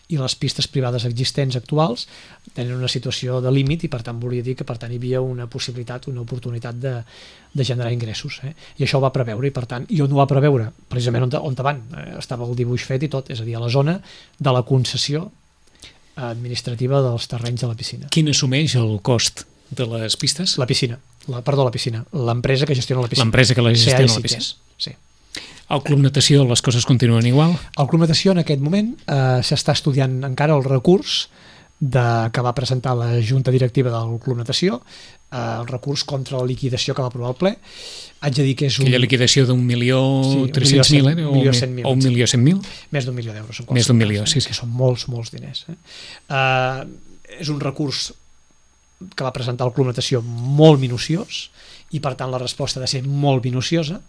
i les pistes privades existents actuals tenen una situació de límit i per tant volia dir que per tant hi havia una possibilitat, una oportunitat de, de generar ingressos. Eh? I això ho va preveure i per tant, i on ho va preveure? Precisament on, on van, eh, estava el dibuix fet i tot, és a dir, a la zona de la concessió administrativa dels terrenys de la piscina. Quin assumeix el cost de les pistes? La piscina, la, perdó, la piscina, l'empresa que gestiona la piscina. L'empresa que la gestiona la piscina. Sí. Al Club Natació les coses continuen igual? Al Club Natació en aquest moment eh, s'està estudiant encara el recurs de, que va presentar la Junta Directiva del Club Natació, eh, el recurs contra la liquidació que va aprovar el ple. Haig de dir que és un... Aquella liquidació d'un milió tres-cents mil, eh? o un milió cent mil? Més d'un milió d'euros. Més d'un milió, sí, sí. Que són molts, molts diners. Eh? Eh, és un recurs que va presentar el Club Natació molt minuciós i per tant la resposta ha de ser molt minuciosa,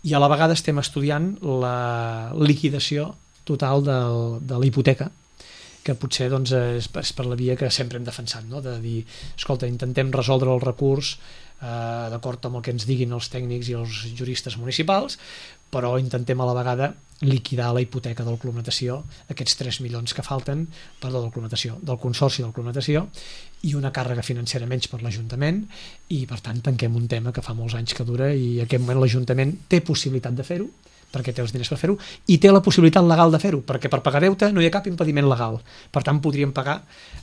i a la vegada estem estudiant la liquidació total del, de la hipoteca, que potser doncs, és, és per la via que sempre hem defensat, no? De dir, escolta, intentem resoldre el recurs eh, d'acord amb el que ens diguin els tècnics i els juristes municipals, però intentem a la vegada liquidar la hipoteca del Club Natació, aquests tres milions que falten, perdó, del Club Natació, del Consorci del Club Natació, i una càrrega financera menys per l'Ajuntament, i per tant tanquem un tema que fa molts anys que dura i en aquest moment l'Ajuntament té possibilitat de fer-ho, perquè té els diners per fer-ho, i té la possibilitat legal de fer-ho, perquè per pagar deute no hi ha cap impediment legal. Per tant, podríem pagar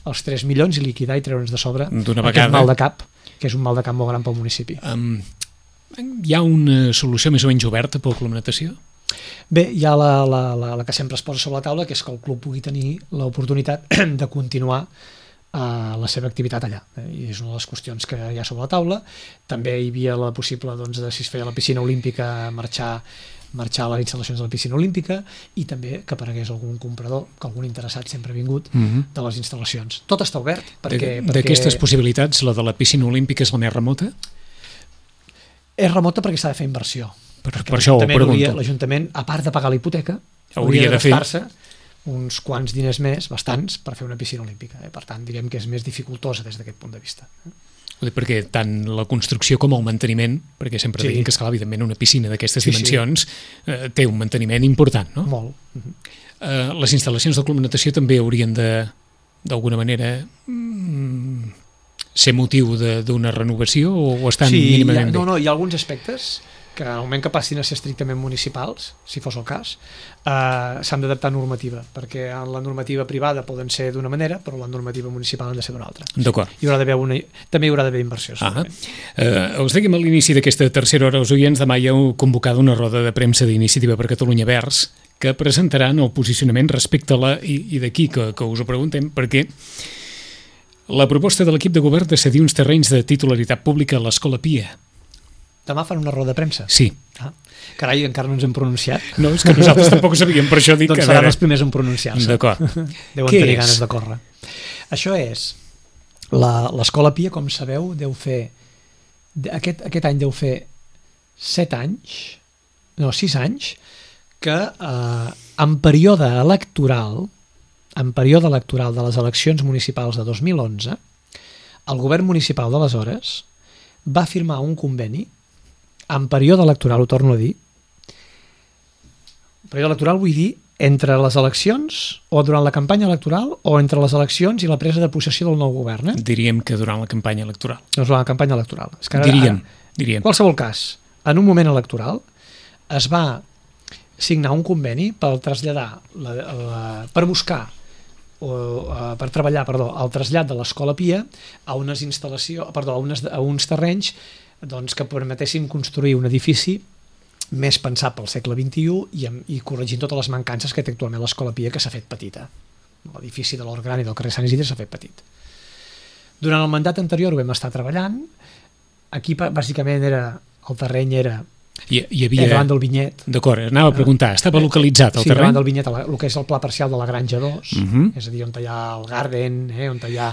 els tres milions i liquidar i treure'ns de sobre aquest mal de cap, que és un mal de cap molt gran pel municipi. Um, hi ha una solució més o menys oberta pel Club Natació? Bé, hi ha la, la, la, la que sempre es posa sobre la taula, que és que el club pugui tenir l'oportunitat de continuar uh, la seva activitat allà. I és una de les qüestions que hi ha sobre la taula. També hi havia la possible, doncs, de, si es feia la piscina olímpica, marxar marxar a les instal·lacions de la piscina olímpica i també que aparegués algun comprador, que algun interessat sempre ha vingut mm-hmm. de les instal·lacions. Tot està obert. perquè D'aquestes perquè... possibilitats, la de la piscina olímpica és la més remota? És remota perquè s'ha de fer inversió. Per, per això ho pregunto. L'Ajuntament, a part de pagar la hipoteca, hauria, hauria de, de gastar-se uns quants diners més, bastants, per fer una piscina olímpica. Eh? Per tant, direm que és més dificultosa des d'aquest punt de vista. Perquè tant la construcció com el manteniment, perquè sempre sí. diguin que, esclar, evidentment, una piscina d'aquestes sí, dimensions sí. Eh, té un manteniment important, no? Molt. Uh-huh. Eh, les instal·lacions del Club Natació també haurien de, d'alguna manera, mm, ser motiu d'una renovació o estan sí, mínimament bé? bé? No, no, hi ha alguns aspectes que en el moment que passin a ser estrictament municipals, si fos el cas, eh, s'han d'adaptar a normativa, perquè en la normativa privada poden ser d'una manera, però la normativa municipal han de ser d'una altra. D'acord. Hi haurà d'haver una, també hi haurà d'haver inversió. Ah, eh, us dèiem a l'inici d'aquesta tercera hora, els oients, demà hi heu convocat una roda de premsa d'Iniciativa per Catalunya Verds que presentaran el posicionament respecte a la... i, i d'aquí que, que us ho preguntem, perquè la proposta de l'equip de govern de cedir uns terrenys de titularitat pública a l'Escola Pia. Demà fan una roda de premsa? Sí. Ah, carai, encara no ens hem pronunciat. No, és que nosaltres tampoc ho sabíem, per això dic doncs que... seran els primers en pronunciar-se. D'acord. Deuen Què tenir és? ganes de córrer. Això és... L'Escola Pia, com sabeu, deu fer... Aquest, aquest any deu fer set anys, no, sis anys, que eh, en període electoral, en període electoral de les eleccions municipals de dos mil onze, el govern municipal d'aleshores va firmar un conveni en període electoral, ho torno a dir, període electoral vull dir entre les eleccions o durant la campanya electoral o entre les eleccions i la presa de possessió del nou govern. Eh? Diríem que durant la campanya electoral. No és la campanya electoral. És que ara, diríem, ara, diríem. En qualsevol cas, en un moment electoral es va signar un conveni per traslladar, la, la, per buscar o uh, per treballar, perdó, el trasllat de l'Escola Pia a unes instal·lacions, perdó, a, unes, a uns terrenys doncs, que permetessin construir un edifici més pensat pel segle vint-i-u i, i corregint totes les mancances que té actualment l'Escola Pia, que s'ha fet petita. L'edifici de l'Hort Gran i del carrer Sant Isidre s'ha fet petit. Durant el mandat anterior ho vam estar treballant. Aquí bàsicament era, el terreny era Hi, hi havia... davant del vinyet. D'acord, anava a preguntar, estava localitzat el sí, terreny? Sí, davant del vinyet, el que és el pla parcial de la Granja dos, uh -huh. és a dir, on hi ha el Garden, eh, on hi ha,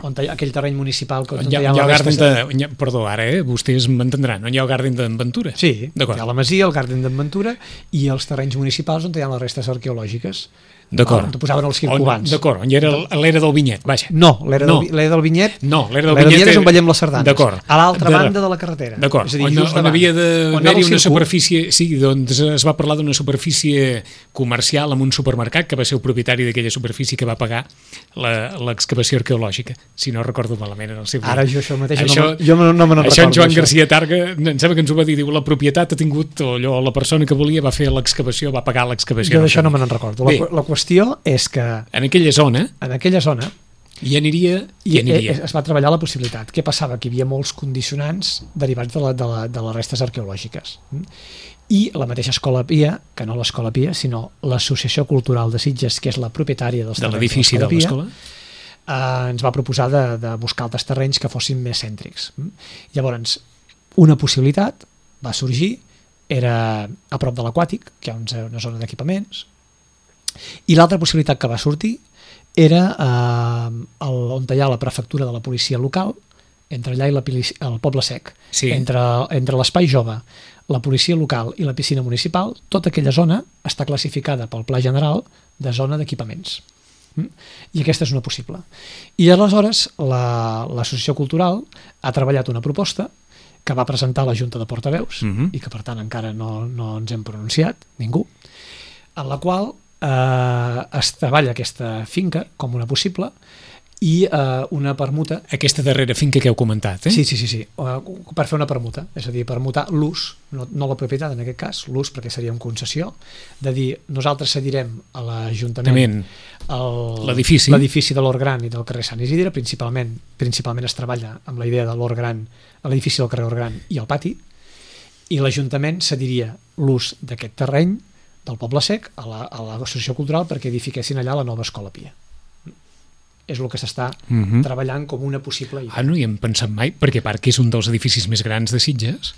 on hi ha aquell terreny municipal... On hi ha, hi ha, hi ha el Garden de... de... Perdó, ara, eh, vostès m'entendran, on hi ha el Garden d'Enventura? Sí, hi ha la Masia, el Garden d'Enventura i els terrenys municipals on hi ha les restes arqueològiques. D'acord. On posaven els circulants. D'acord, on hi era l'era del vinyet, vaja. No, l'era no. del, del vinyet no, l'era del vinyet és on veiem les sardanes. D'acord. A l'altra de... banda de la carretera. D'acord, on, on havia d'haver-hi una superfície... Sí, doncs es va parlar d'una superfície comercial amb un supermercat que va ser el propietari d'aquella superfície que va pagar l'excavació arqueològica, si no recordo malament en el seu... Ara jo això mateix això, no, jo no me n'en recordo. Això en Joan això. García Targa, em sembla que ens ho va dir, diu, la propietat ha tingut, o allò, la persona que volia va fer l'excavació, va pagar l'excavació. Jo d'això no me n'en recordo. La, la qüestió és que... En aquella zona... En aquella zona... Hi aniria... Hi aniria. Es va treballar la possibilitat. Què passava? Que hi havia molts condicionants derivats de, la, de, la, de les restes arqueològiques. I la mateixa Escola Pia, que no l'Escola Pia, sinó l'Associació Cultural de Sitges, que és la propietària dels de l'edifici de l'Escola, eh, ens va proposar de, de buscar altres terrenys que fossin més cèntrics. Llavors, una possibilitat va sorgir, era a prop de l'Aquàtic, que hi ha una zona d'equipaments, i l'altra possibilitat que va sortir era eh, el, on hi ha la prefectura de la policia local, entre allà i la, el Poble Sec, sí. entre, entre l'espai jove, la policia local i la piscina municipal, tota aquella zona està classificada pel Pla General de zona d'equipaments. I aquesta és una possible. I aleshores l'Associació la, Cultural ha treballat una proposta que va presentar a la Junta de Portaveus, uh-huh. i que per tant encara no, no ens hem pronunciat, ningú, en la qual eh, es treballa aquesta finca com una possible i eh, una permuta... Aquesta darrera finca que heu comentat, eh? Sí, sí, sí, sí. Per fer una permuta, és a dir, permutar l'ús, no, no la propietat en aquest cas, l'ús perquè seria en concessió, de dir, nosaltres cedirem a l'Ajuntament l'edifici de l'Hort Gran i del carrer Sant Isidre, principalment principalment es treballa amb la idea de l'Hort Gran, l'edifici del carrer Hort Gran i el pati, i l'Ajuntament cediria l'ús d'aquest terreny del Poble Sec a l'Associació la, Cultural perquè edifiquessin allà la nova Escola Pia. És el que s'està uh-huh. treballant com una possible idea. Ah, no hi hem pensat mai, perquè a part que és un dels edificis més grans de Sitges.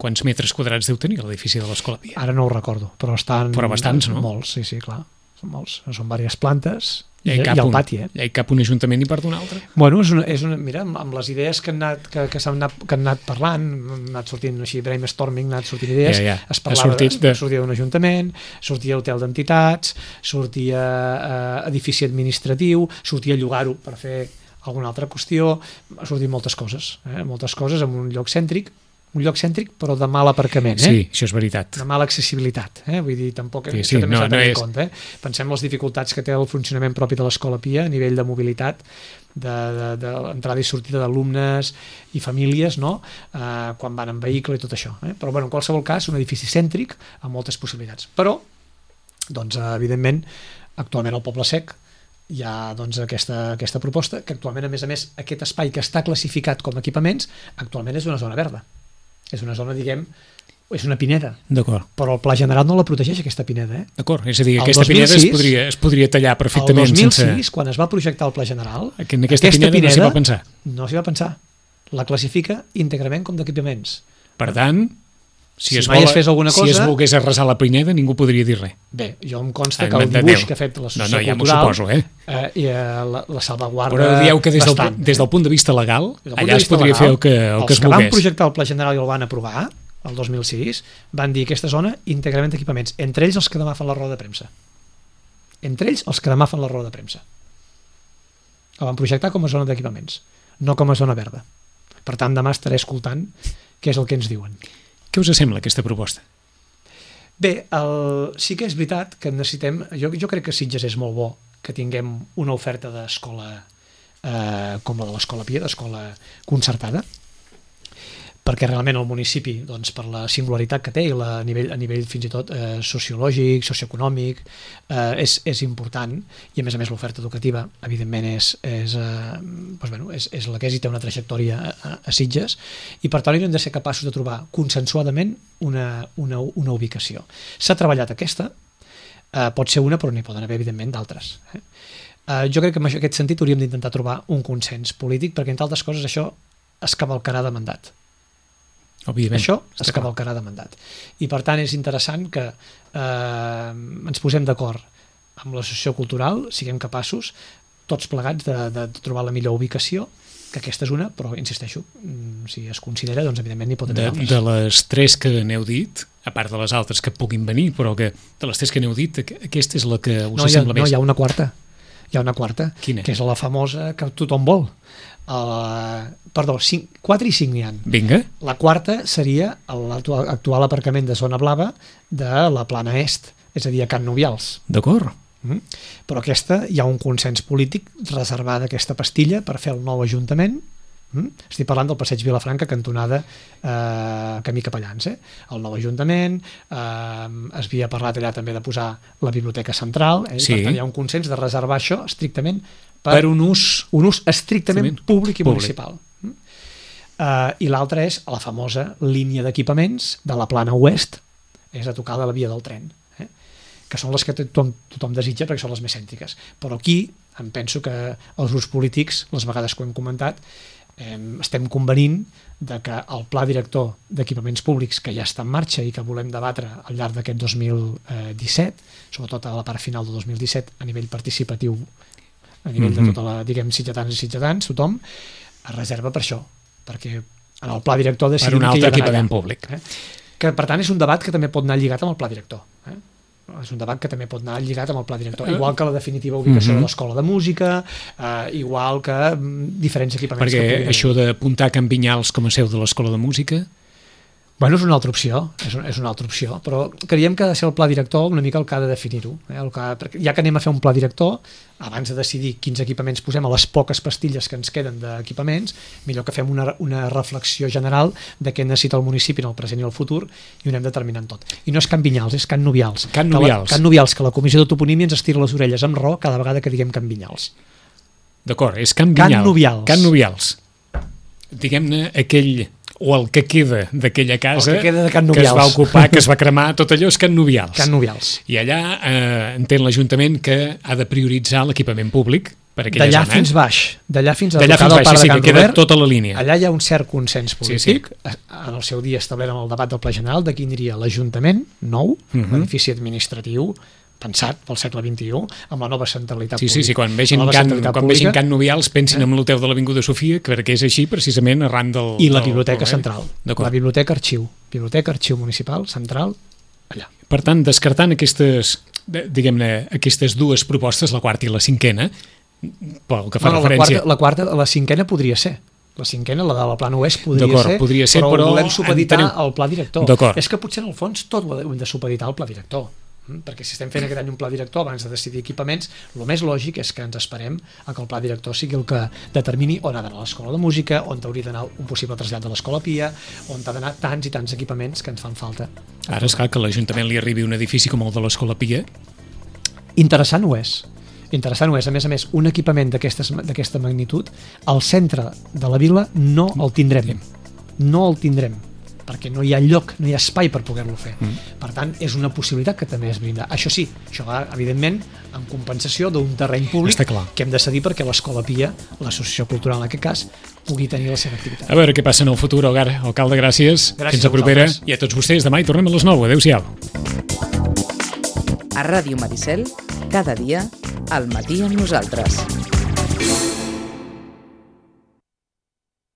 Quants metres quadrats deu tenir l'edifici de l'Escola Pia? Ara no ho recordo, però estan... Però bastants, no? Molts, sí, sí, clar. Són molts. Són diverses plantes i, i el un, pati, eh? Hi ha cap un ajuntament i part d'un altre? Bueno, és una, és una, mira, amb les idees que han anat, que, que s'han anat, que han anat parlant, han anat sortint així, brainstorming, han anat sortint idees, ja, ja. es parlava, sortit de... sortia d'un ajuntament, sortia hotel d'entitats, sortia eh, edifici administratiu, sortia llogar-ho per fer alguna altra qüestió, ha sortit moltes coses, eh? moltes coses en un lloc cèntric, un lloc cèntric però de mal aparcament, eh? Sí, això és veritat. De mala accessibilitat, eh? Vull dir, tampoc Sí, això sí, també no, s'ha de tenir no en és- compte, eh? Pensem les dificultats que té el funcionament propi de l'Escola Pia a nivell de mobilitat, de, de, de l'entrada i sortida d'alumnes i famílies, no? Eh, quan van en vehicle i tot això, eh? Però bueno, en qualsevol cas, un edifici cèntric amb moltes possibilitats. Però, doncs, eh, evidentment, actualment al Poble Sec hi ha doncs, aquesta, aquesta proposta, que actualment, a més a més, aquest espai que està classificat com a equipaments, actualment és una zona verda. És una zona, diguem, és una pineda, D'acord. però el Pla General no la protegeix, aquesta pineda. Eh? D'acord, és a dir, El aquesta dos mil pineda es sis podria, es podria tallar El perfectament dos mil sis, sense... quan es va projectar el Pla General, Que en aquesta, pineda, no s'hi va pensar. no s'hi va pensar. La classifica íntegrament com d'equipaments. Per tant, si, Si es, mai vol, es fes alguna si es cosa- volgués arrasar la pineda, ningú podria dir res. Bé, jo em consta En que el nom de dibuix Déu. que ha fet l'associació No, no, ja m'ho cultural suposo, eh? eh, i, eh, la, la salvaguarda Però dieu que des del, bastant. des del punt de vista legal, Des del punt de allà es vista podria legal, fer el que, el que els es que van volgués. projectar el Pla General i el van aprovar el dos mil sis van dir aquesta zona íntegrament d'equipaments, entre ells els que demà fan la roda de premsa, entre ells els que demà fan la roda de premsa. La van projectar com a zona d'equipaments, no com a zona verda. Per tant, demà estaré escoltant què és el que ens diuen. Què us sembla aquesta proposta? Bé, el, sí que és veritat que necessitem, jo, jo crec que Sitges és molt bo que tinguem una oferta d'escola eh, com la de l'Escola Pia, d'escola concertada, perquè realment el municipi, doncs, per la singularitat que té i la, a, nivell, a nivell fins i tot eh, sociològic, socioeconòmic, eh, és, és important, i a més a més l'oferta educativa evidentment és, és, eh, doncs, bueno, és, és la que és i té una trajectòria a, a Sitges, i per tant hem de ser capaços de trobar consensuadament una, una, una ubicació. S'ha treballat aquesta, eh, pot ser una però n'hi poden haver evidentment d'altres. Eh? Eh, jo crec que en aquest sentit hauríem d'intentar trobar un consens polític, perquè entre altres coses això es cavalcarà de mandat. Òbviament. Això es cavalcarà de mandat. I per tant és interessant que eh, ens posem d'acord amb l'associació cultural, siguem capaços tots plegats de, de trobar la millor ubicació, que aquesta és una, però insisteixo, si es considera, doncs evidentment n'hi pot haver De, d'altres. de les tres que n'heu dit, a part de les altres que puguin venir, però que de les tres que n'heu dit, aqu- aquesta és la que us No, hi ha, sembla no, més. hi ha una quarta. Hi ha una quarta, Quina? que és la famosa que tothom vol. Uh, perdó, cinc, quatre i cinc n'hi ha. Vinga, La quarta seria l'actual actual aparcament de zona blava de la Plana Est, és a dir, a Can Nubials. d'acord. Mm. Però aquesta, hi ha un consens polític reservada aquesta pastilla per fer el nou Ajuntament. Mm. Estic parlant del passeig Vilafranca, cantonada eh, camí Capellans. Eh? El nou Ajuntament, eh, es havia parlat allà també de posar la biblioteca central, eh? Sí. Per tant hi ha un consens de reservar això estrictament per, Per un ús... un ús estrictament Estrictament públic i públic. municipal. Mm. Uh, I l'altra és la famosa línia d'equipaments de la Plana Oest, és a tocar de la via del tren, eh? Que són les que tothom, tothom desitja perquè són les més cèntriques. Però aquí em penso que els grups polítics, les vegades que ho hem comentat, eh, estem convenint de que el pla director d'equipaments públics que ja està en marxa i que volem debatre al llarg d'aquest dos mil disset, sobretot a la part final del dos mil disset a nivell participatiu, a nivell Mhm. de tota la, diguem, sitgetans i sitgetans, tothom, es reserva per això, perquè en el pla director Per decidim un què hi altre ha d'anar equipament allà. públic. Eh? Que per tant és un debat que també pot anar lligat amb el pla director. Eh? És un debat que també pot anar lligat amb el pla director, igual que la definitiva ubicació Mhm. de l'escola de música, eh, igual que mm, diferents equipaments. que Perquè puguin això haver. d'apuntar Can Vinyals com a seu de l'Escola de Música... Bueno, és una altra opció, és, un, és una altra opció, però creiem que ha de ser el pla director una mica el que ha de definir-ho. Eh? El que, perquè ja que anem a fer un pla director, abans de decidir quins equipaments posem a les poques pastilles que ens queden d'equipaments, millor que fem una, una reflexió general de què necessita el municipi en el present i el futur i ho anem determinant tot. I no és Can Vinyals, és Can Nubials. Can Que la- Nubials. Can Nubials, que la Comissió de Toponímia ens estira les orelles amb raó cada vegada que diguem Can Vinyals. D'acord, és Can Can Vinyals. Nubials. Can Nubials. Diguem-ne aquell... o el que queda d'aquella casa El que queda de Can que es va Nubials. ocupar, que es va cremar, tot allò és Can Nubials. Can Nubials. I allà eh, entén l'Ajuntament que ha de prioritzar l'equipament públic per aquella D'allà zona. fins baix, d'allà fins a D'allà tocar fins del baix, parc sí, de que Can queda Robert. tota la línia. Allà hi ha un cert consens polític. Sí, En el seu dia establert amb el debat del Pla General de quin diria l'Ajuntament nou, Mhm. l'edifici administratiu pensat pel segle vint-i-u, amb la nova centralitat Sí, sí, pública. sí, quan vegin, La nova Can, centralitat quan vegin pública Can Nubials pensin Eh? en l'hotel de l'Avinguda Sofia, que perquè és així precisament arran del... i la del- biblioteca del- central. D'acord. La biblioteca arxiu. Biblioteca arxiu municipal central allà. Per tant, descartant aquestes, de- diguem-ne, aquestes dues propostes, la quarta i la cinquena, pel que fa No, no, la, referència... quarta, la quarta, la cinquena podria ser. La cinquena, la de la Plana Oest, podria D'acord, ser, podria ser, però, però volem supeditar entenem- al pla director. D'acord. És que potser en el fons tot ho hem de supeditar al pla director, mm? perquè si estem fent aquest any un pla director abans de decidir equipaments, el més lògic és que ens esperem a que el pla director sigui el que determini on ha d'anar l'escola de música, on hauria d'anar un possible trasllat de l'escola Pia, on ha d'anar tants i tants equipaments que ens fan falta. Ara, esclar, que a l'Ajuntament li arribi un edifici com el de l'Escola Pia, Interessant ho és. Interessant ho és. A més a més, un equipament d'aquestes- d'aquesta magnitud, al centre de la vila no el tindrem. No el tindrem, perquè no hi ha lloc, no hi ha espai per poder-lo fer. Mm. Per tant, és una possibilitat que també es brinda. Això sí, això va, evidentment, en compensació d'un terreny públic Està clar. que hem de cedir perquè l'Escola Pia, l'associació cultural en aquest cas, pugui tenir la seva activitat. a veure què passa en el futur, Algar. Alcalde, gràcies. Gràcies Fins a a propera. vosaltres. I a tots vostès, demà hi tornem a les nou. Adéu-siau. A Ràdio Maricel, cada dia, al matí amb nosaltres.